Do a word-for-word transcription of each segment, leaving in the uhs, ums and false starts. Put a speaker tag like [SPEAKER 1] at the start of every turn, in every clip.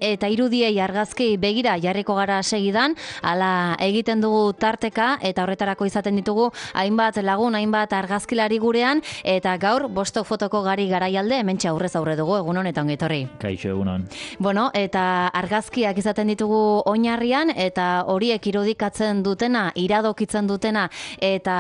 [SPEAKER 1] Eta irudiei argazki begira jarriko gara segidan, hala egiten dugu tarteka eta horretarako izaten ditugu hainbat lagun, hainbat argazkilari gurean, eta gaur bostok fotoko gari garaialde hementxe aurrez aurre dugu, egun honetan ongi etorri.
[SPEAKER 2] Kaixo, egunon.
[SPEAKER 1] Bueno, eta argazkiak izaten ditugu oinarrian, eta horiek irudikatzen dutena, iradokitzen dutena, eta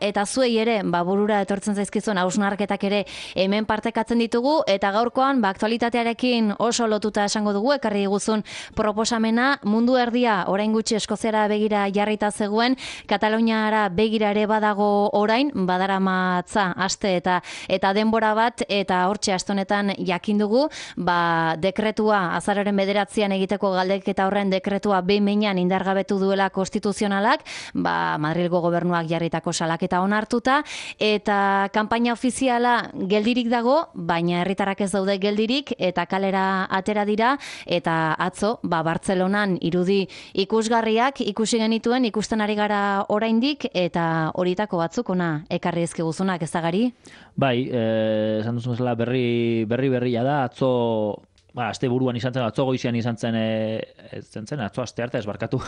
[SPEAKER 1] eta zuei ere, ba, burura etortzen zaizkizuen hausnarketak ere hemen partekatzen ditugu, eta gaurkoan, ba, aktualitatearekin oso lotuta esango dugu, ekarri diguzun proposamena, mundu erdia orain gutxi Eskoziara begira jarrita zegoen, Kataluniara begira ere badago orain, badaramatza aste eta eta denbora bat, eta hortxe aste honetan jakin dugu, ba, dekretua azaroaren bederatzian egiteko galdeketa horren dekretua behin behinean indargabetu duela konstituzionalak, ba, Madrilgo gobernuak jarritako salaketa onartuta, eta kanpaina ofiziala geldirik dago, baina herritarrak ez daude geldirik, eta kalera atera dira, eta atzo, ba, Bartzelonan irudi ikusgarriak ikusi genituen, ikusten ari gara oraindik, eta horietako batzuk ona ekarri ezkiguzunak, ez da gari?
[SPEAKER 2] Bai, eh, esan duzun bezala berri berri berria da, atzo, ba, aste buruan izan zen, atzo goizian izan zen, e, ez zen zen, atzo aste arte ez barkatu.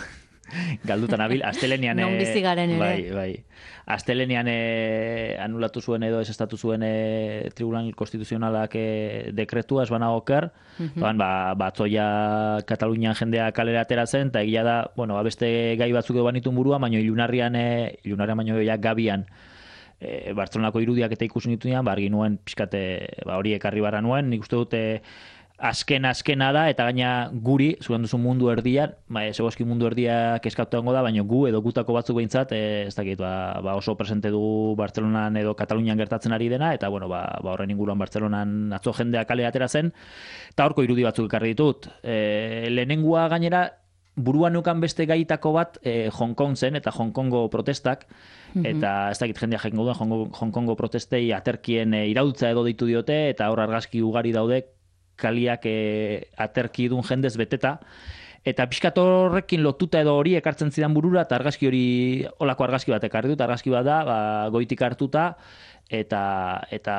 [SPEAKER 2] Galdutan abil, astelenean...
[SPEAKER 1] Non bizi garen ere.
[SPEAKER 2] Bai, bai. Astelenean e, anulatu zuen edo ez estatu zuen e, Tribunal Konstituzionalak e, dekretua, ez banago oker, mm-hmm. ba, batzoia Katalunian jendea kalera atera zen, eta egia da, bueno, beste gai batzuk edo banitun burua, baino ilunarrian, e, ilunarrian baino ja gabian, e, Bartzelonako irudiak eta ikusi nituenean, ba, argi nuen, pixkate, ba, hori ekarri barra nuen, nik uste dute, azken azkena da, eta gaina guri, zuren duzu mundu erdian, ba, zegoeski mundu erdia keskatu da, baina gu edo gutako batzuk behintzat, e, ez dakit, ba, ba oso presente dugu Bartzelonan edo Katalunian gertatzen ari dena, eta bueno, ba, ba horren inguruan Bartzelonan atzo jendea kale atera zen, eta horko irudi batzuk ekarri ditut. E, lehenengua gainera, buruan neukan beste gaitako bat e, Hong Kong zen, eta Hong Kongo protestak, mm-hmm. eta ez dakit jendea jakingo duen, Hong, Hong Kongo protestei aterkien e, iraultza edo deitu diote, eta hor argazki ugari daude, kaliak e, aterki dun jendez beteta, eta pixkat horrekin lotuta edo hori ekartzen zidan burura, eta argazki hori, olako argazki bat ekarri dut, argazki bat da, ba, goitik hartuta, eta eta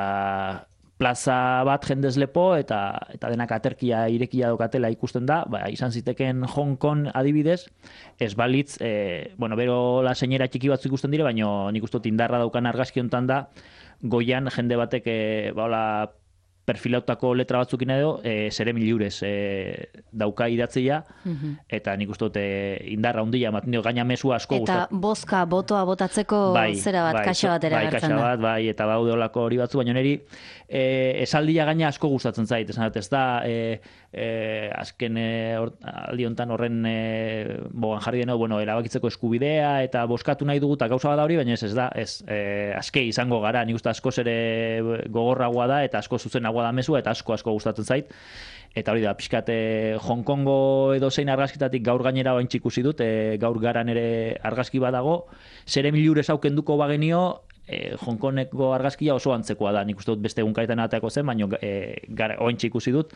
[SPEAKER 2] plaza bat jendez lepo, eta, eta denak aterkia irekia dokatela ikusten da, ba, izan ziteken Hong Kong adibidez, ez balitz, e, bueno, bero la seinera txiki batzu ikusten dire, baina nik uste dut indarra daukan argazki hontan da, goian jende batek, e, ba, hola, perfilautako letra batzukin edo, e, zere miliurez e, dauka idatzia, mm-hmm. eta nik uste dut e, indarra hundia, ematen dio, gaina mesua asko
[SPEAKER 1] gustat. Eta bozka, botoa botatzeko bai, zera bat, bai, kaxa bat ere
[SPEAKER 2] bai,
[SPEAKER 1] gertzen da.
[SPEAKER 2] Bat, bai, eta baude olako hori batzu, baina niri e, esaldia gaina asko gustatzen zait, esan dut, ez da, e, e, azken e, or, aldi hontan horren e, bogan jarri deno, bueno, erabakitzeko eskubidea, eta bozkatu nahi dugu, eta gauza bada hori, baina ez, ez da, ez, e, azke izango gara, nik uste asko ere gogorragoa da, eta asko zuzenagoa da mezua, eta asko asko gustatzen zait. Eta hori da, pixkate Hong Kongo edo zein argazkitatik gaur gainera oain ikusi dut, e, gaur garan ere argazki badago, zere milurez aukenduko bagenio, e, Hong Kongeko argazkia oso antzekoa da, nik uste dut beste egunkaetan ateako zen, baina e, oain ikusi dut,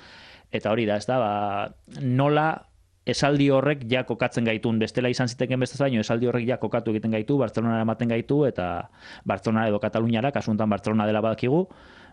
[SPEAKER 2] eta hori da, ez da, ba, nola esaldi horrek ja kokatzen gaitun, bestela izan ziteken bestez baino, esaldi horrek ja kokatu egiten gaitu, Bartzelonara ematen gaitu, eta Bartzelona edo Kataluniara, kasuntan Bartzelona dela badakigu,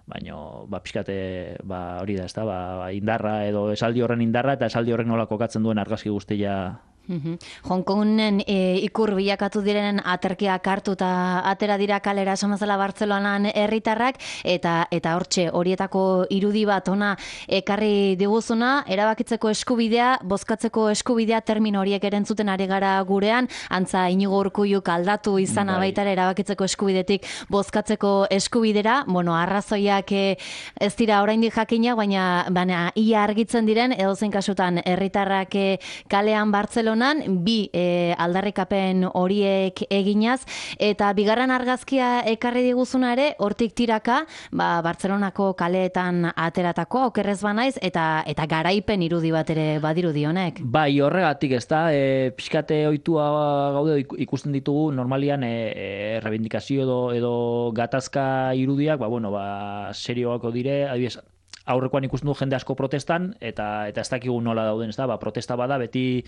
[SPEAKER 2] baina ba, pixkate ba, hori da, ez da, ba, indarra edo esaldi horren indarra, eta esaldi horrek nola kokatzen duen argazki guztia.
[SPEAKER 1] Mm-hmm. Hong Kongen e, ikur bilakatu direnen aterkiak hartu eta atera dira kalera esamazela Bartzelonan herritarrak, eta eta hortxe horietako irudi bat ona ekarri diguzuna, erabakitzeko eskubidea, bozkatzeko eskubidea, termino horiek erentzuten ari gara gurean, antza Inigo Urkulluk aldatu izana bai. Baitare erabakitzeko eskubidetik bozkatzeko eskubidera, bueno, arrazoiak e, ez dira oraindik jakina, baina, baina ia argitzen diren, edozein kasutan herritarrak e, kalean Bartzelona bi e, aldarrikapen horiek eginaz, eta bigarren argazkia ekarri diguzuna ere, hortik tiraka, ba, Bartzelonako kaleetan ateratako, okerrez banaiz, eta eta garaipen irudi bat ere badirudi honek.
[SPEAKER 2] Bai, horregatik ez da, e, pixkate ohitua gaude ikusten ditugu, normalian e, e, rebindikazio edo, edo gatazka irudiak, ba, bueno, ba, serioako dire, adibidez, aurrekoan ikusten du jende asko protestan, eta eta ez dakigu nola dauden, ez da, ba, protesta bada, beti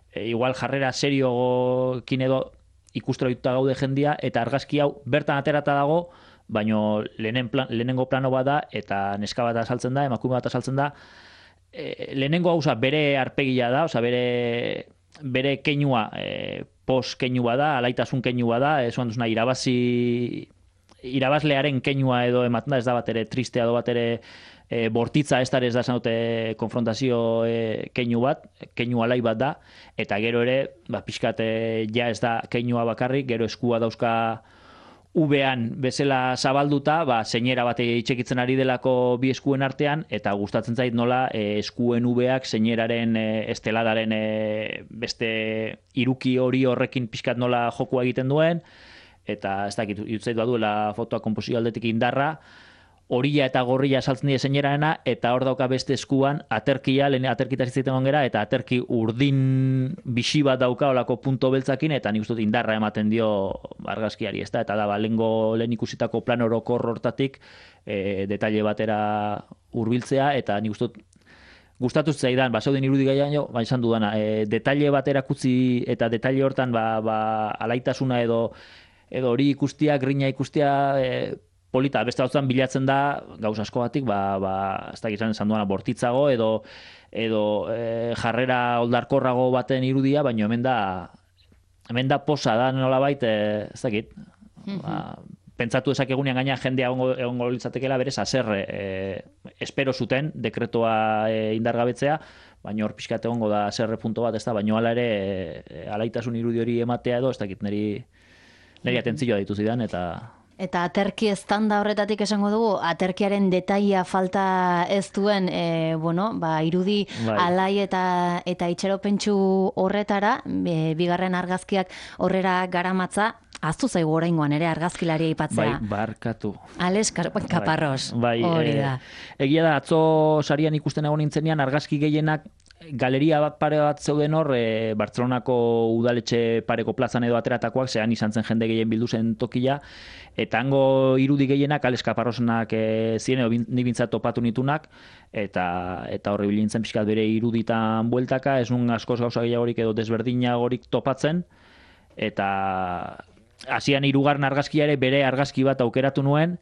[SPEAKER 2] E, igual jarrera seriokin edo ikustera dituta gaude jendia, eta argazki hau bertan aterata dago, baino lehenen plan, lehenengo plano bada, eta neska bat azaltzen da, emakume bat azaltzen da, e, lehenengo hauza bere arpegia da, oza, bere, bere keinua e, pos keinua da, alaitasun keinua da, ez oan duzuna, irabazi, irabazlearen keinua edo ematen da, ez da bat ere tristea edo bat ere e, bortitza ez da ez da zanote konfrontazio e, keinu bat, keinu alai bat da, eta gero ere, ba, pixkat e, ja ez da keinua bakarrik, gero eskua dauzka ubean bezala zabalduta, ba, zeinera bat itxekitzen ari delako bi eskuen artean, eta gustatzen zait nola e, eskuen ubeak zeineraren e, esteladaren e, beste iruki hori horrekin pixkat nola jokua egiten duen, eta ez dakit, jutzait baduela fotoa konposio aldetik indarra, horila eta gorrila saltzen dira zeinerarena, eta hor dauka beste eskuan aterkia, lehen aterkitaz izaiten gongera, eta aterki urdin bixi bat dauka olako punto beltzakin, eta nik uste dut indarra ematen dio argazkiari, ez da? Eta da, ba, lehengo lehen ikusitako plan orokor hortatik e, detalle batera hurbiltzea, eta nik uste dut gustatu zaidan, ba, zeuden irudi gaian jo, ba, esan dudana, e, detalle batera kutzi, eta detalle hortan, ba, ba, alaitasuna edo edo hori ikustia, grina ikustia, e, polita, beste batzuan bilatzen da, gauz asko batik, ba, ba, ez da gizan esan duana, bortitzago, edo, edo e, jarrera oldarkorrago baten irudia, baina hemen da, hemen da posa da nolabait, e, ez dakit, mm-hmm. ba, pentsatu ezakegunean gaina jendea egongo, egongo litzatekeela berez, haserre, e, espero zuten, dekretoa e, indargabetzea, baina hor pixkat egongo da haserre punto bat, ez da, baina hala ere, e, alaitasun irudi hori ematea edo, ez dakit, niri, niri atentzioa ditu zidan, eta...
[SPEAKER 1] Eta aterki estanda horretatik esango dugu, aterkiaren detaia falta ez duen, e, bueno, ba, irudi bai. Alai eta eta itxeropentsu horretara, e, bigarren argazkiak horrera garamatza, aztu zaigu oraingoan ere argazkilaria aipatzea.
[SPEAKER 2] Bai, barkatu.
[SPEAKER 1] Ales Kaparros,
[SPEAKER 2] bai,
[SPEAKER 1] hori da.
[SPEAKER 2] E, egia da, atzo sarian ikusten egon nintzenean, argazki gehienak galeria bat pare bat zeuden hor, e, Bartzelonako udaletxe pareko plazan edo ateratakoak, zehan izan zen jende gehien bildu zen tokia, eta hango irudi gehienak Ales Kaparrosenak e, ziren, edo nik bintzat topatu nitunak, eta eta horri bilintzen pixkat bere iruditan bueltaka, ez nun askoz gauza gehiagorik edo desberdinagorik topatzen, eta hasian hirugarren argazkia ere bere argazki bat aukeratu nuen,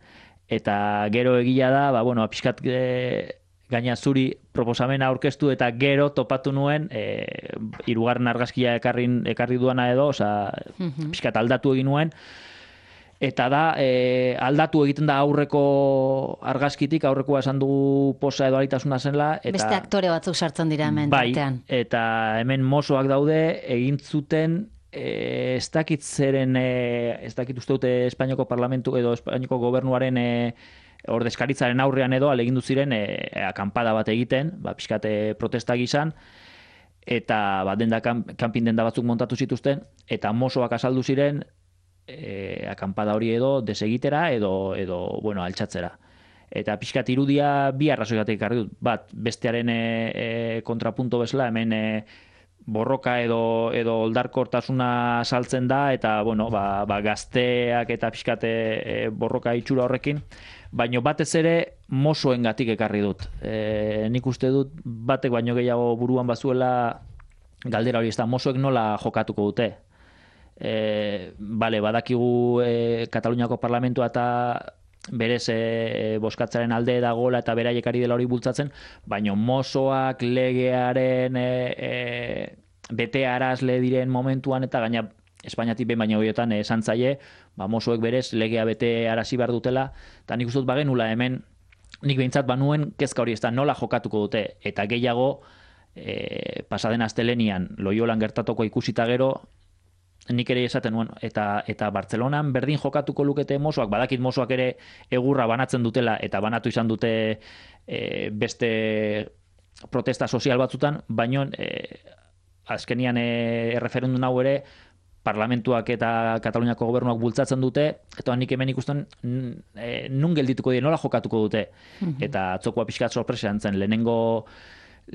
[SPEAKER 2] eta gero egia da, ba, bueno, pixkat... E, gaina zuri proposamena aurkeztu eta gero topatu nuen e, hirugarren argazkia ekarrin, ekarri duana edo, oza, mm-hmm. pixkat aldatu egin nuen, eta da, e, aldatu egiten da aurreko argazkitik, aurrekoa esan dugu posa edo alitasuna zenla. Eta,
[SPEAKER 1] beste aktore batzuk sartzen dira hemen.
[SPEAKER 2] Bai,
[SPEAKER 1] tartean.
[SPEAKER 2] Eta hemen mozoak daude, egin zuten, e, ez dakit zeren, e, ez dakit uste dute Espainiako parlamentu edo Espainiako gobernuaren e, ordezkaritzaren aurrean edo alegindu ziren e, akampada bat egiten, ba, pixkate protesta gizan, eta ba, denda, kanpin denda batzuk montatu zituzten, eta mozoak azaldu ziren e, akampada hori edo desegitera edo, edo bueno, altxatzera. Eta pixkat irudia bi arrazoigatik ekarri dut, bat, bestearen e, e, kontrapunto bezala, hemen e, borroka edo edo oldarkortasuna saltzen da, eta bueno, ba, ba, gazteak eta pixkate e, borroka itxura horrekin, baino batez ere mozoengatik ekarri dut. E, nik uste dut batek baino gehiago buruan bazuela galdera hori, ez da, mozoek nola jokatuko dute. E, bale, badakigu e, Kataluniako parlamentua eta berez e, boskatzaren alde dagoela eta beraiek ari dela hori bultzatzen, baino mozoak legearen e, e, bete arazle diren momentuan eta gaina Espainiatik behin baina horietan esan zaie, ba, mozoek berez legea bete arazi behar dutela, eta nik uste dut bagenula hemen, nik behintzat banuen kezka hori ez da nola jokatuko dute, eta gehiago e, pasaden astelenian Loiolan gertatuko ikusita gero, nik ere esaten nuen, eta, eta Bartzelonan berdin jokatuko lukete mozoak, badakit mozoak ere egurra banatzen dutela, eta banatu izan dute e, beste protesta sozial batzutan, baino e, azkenian e, erreferendun hau ere, parlamentuak eta Kataluniako gobernuak bultzatzen dute, eta nik hemen ikusten e, nun geldituko dira, nola jokatuko dute. Mm-hmm. Eta atzokoa pixkat sorpresa zen, lehenengo,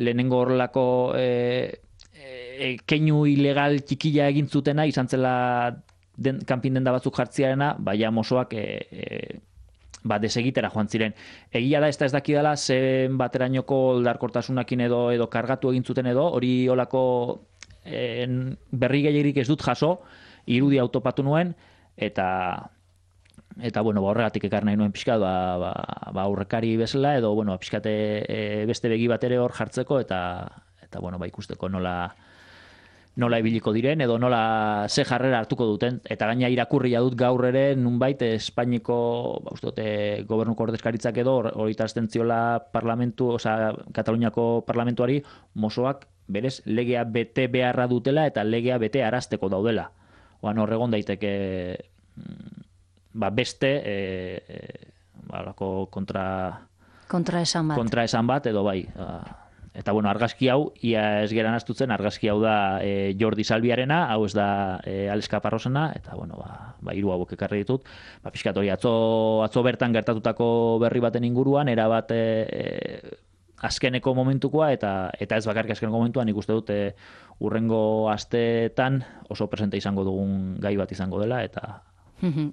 [SPEAKER 2] lehenengo horrelako e, e, keinu ilegal txikila egin zutena, izan zela den, kanpin denda batzuk jartziarena, baina mozoak e, e, ba, desegitera joan ziren. Egia da, ez da ez dakidala, zen baterainoko oldarkortasunakin edo, edo kargatu egin zuten edo, hori olako En, berri gehiagirik ez dut jaso, irudi autopatu nuen, eta eta bueno, ba, horregatik ekar nahi nuen pixkat, ba, ba, ba aurrekari bezala, edo bueno, pixkate e, beste begi bat ere hor jartzeko, eta, eta bueno, ba, ikusteko nola nola ibiliko diren, edo nola ze jarrera hartuko duten, eta gaina irakurria dut gaur ere, nunbait, Espainiko, ba, uste dute, gobernuko ordezkaritzak edo, hori ziola parlamentu, oza, Kataluniako parlamentuari, Mosoak, berez, legea bete beharra dutela, eta legea bete arazteko daudela. Oan horregon daiteke, ba, beste, e, e, ba, kontra...
[SPEAKER 1] Kontra esan bat.
[SPEAKER 2] Kontra esan bat, edo bai, eta bueno, argazki hau, ia ez geran astutzen, argazki hau da e, Jordi Salviarena, hau ez da e, Alex Caparrosena, eta bueno, ba, ba hiru hauek ekarri ditut. Ba, pixkat hori, atzo, atzo bertan gertatutako berri baten inguruan, erabat e, e, azkeneko momentukoa, eta eta ez bakarrik azkeneko momentuan, nik uste dut e, urrengo asteetan oso presente izango dugun gai bat izango dela, eta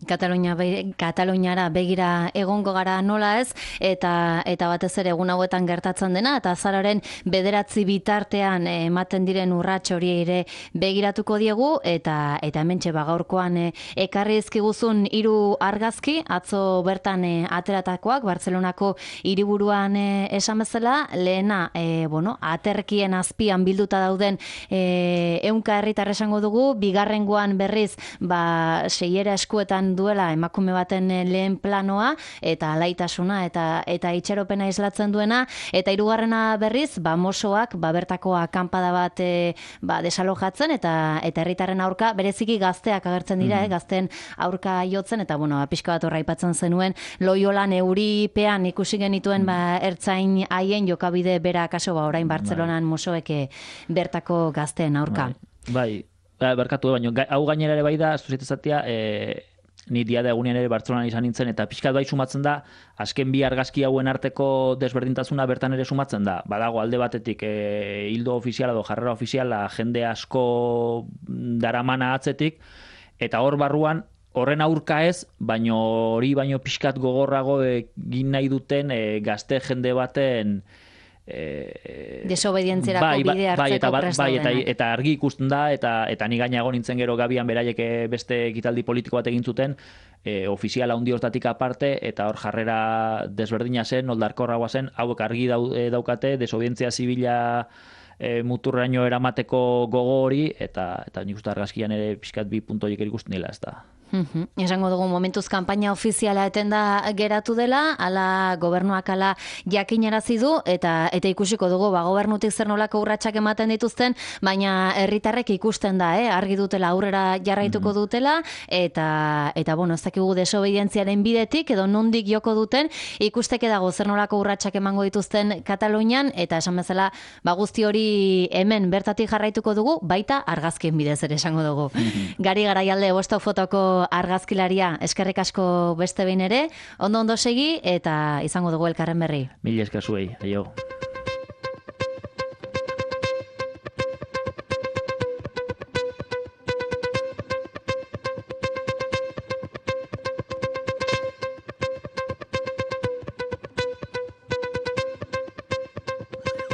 [SPEAKER 1] Katalunia be, Kataluniara begira egongo gara nola ez, eta eta batez ere egun hauetan gertatzen dena, eta azararen bederatzi bitartean ematen diren urrats hori ere begiratuko diegu, eta eta hementxe ba gaurkoan e, ekarri dizkiguzun hiru argazki, atzo bertan e, ateratakoak, Bartzelonako hiriburuan e, esan bezala, lehena, e, bueno, aterkien azpian bilduta dauden e, ehunka herritar esango dugu, bigarrengoan berriz, ba seiera esku duela emakume baten lehen planoa, eta alaitasuna eta eta itxaropena islatzen duena, eta hirugarrena berriz, ba Mosoak, ba bertako akanpada bat e, ba desalojatzen, eta eta herritarren aurka, bereziki gazteak agertzen dira, mm. eh, gazten aurka jotzen, eta bueno, pixka bat horra aipatzen zenuen, Loiolan euripean ikusi genituen mm. ba ertzain haien jokabide bera kaso, ba orain Bartzelonan Mosoek bertako gazteen aurka.
[SPEAKER 2] Bai. Bai. Barkatu, baina hau gainera ere bai da, zuzitezatia, e, ni dia da egunean ere Bartzelonan izan nintzen, eta pixkat bai sumatzen da, azken bi argazki hauen arteko desberdintasuna bertan ere sumatzen da. Badago alde batetik e, hildo ofiziala edo jarrera ofiziala jende asko daramana atzetik, eta hor barruan, horren aurka ez, baino hori baino pixkat gogorrago egin nahi duten e, gazte jende baten
[SPEAKER 1] Eh, desobedientzierako bai, bide hartzeko
[SPEAKER 2] bai, eta,
[SPEAKER 1] prest
[SPEAKER 2] bai, eta,
[SPEAKER 1] daudenak.
[SPEAKER 2] eta argi ikusten da, eta, eta ni gaina egon nintzen gero Gabian beraiek beste ekitaldi politiko bat egin zuten, e, ofiziala handi hortatik aparte, eta hor jarrera desberdina zen, noldarkorragoa zen, hauek argi dau, daukate, desobedientzia zibila e, muturraino eramateko gogo hori, eta, eta nik uste argazkian ere pixkat bi puntu horiek ikusten dela, ez da.
[SPEAKER 1] Uhum. Esango dugu momentuz kanpaina ofiziala etenda geratu dela, ala gobernuak ala jakinarazi du, eta eta ikusiko dugu ba gobernutik zer nolako urratsak ematen dituzten, baina herritarrek ikusten da, eh, argi dutela aurrera jarraituko dutela, eta eta bueno, ez dakigu desobedientziaren bidetik edo nondik joko duten, ikusteke dago zer nolako urratsak emango dituzten Katalunian, eta esan bezala ba guzti hori hemen bertatik jarraituko dugu, baita argazkien bidez ere esango dugu. Gari Garaialde Bosto Fotoko argazkilaria, eskerrik asko beste behin ere, ondo ondo segi, eta izango dugu elkarren berri.
[SPEAKER 2] Mila esker zuei, aio.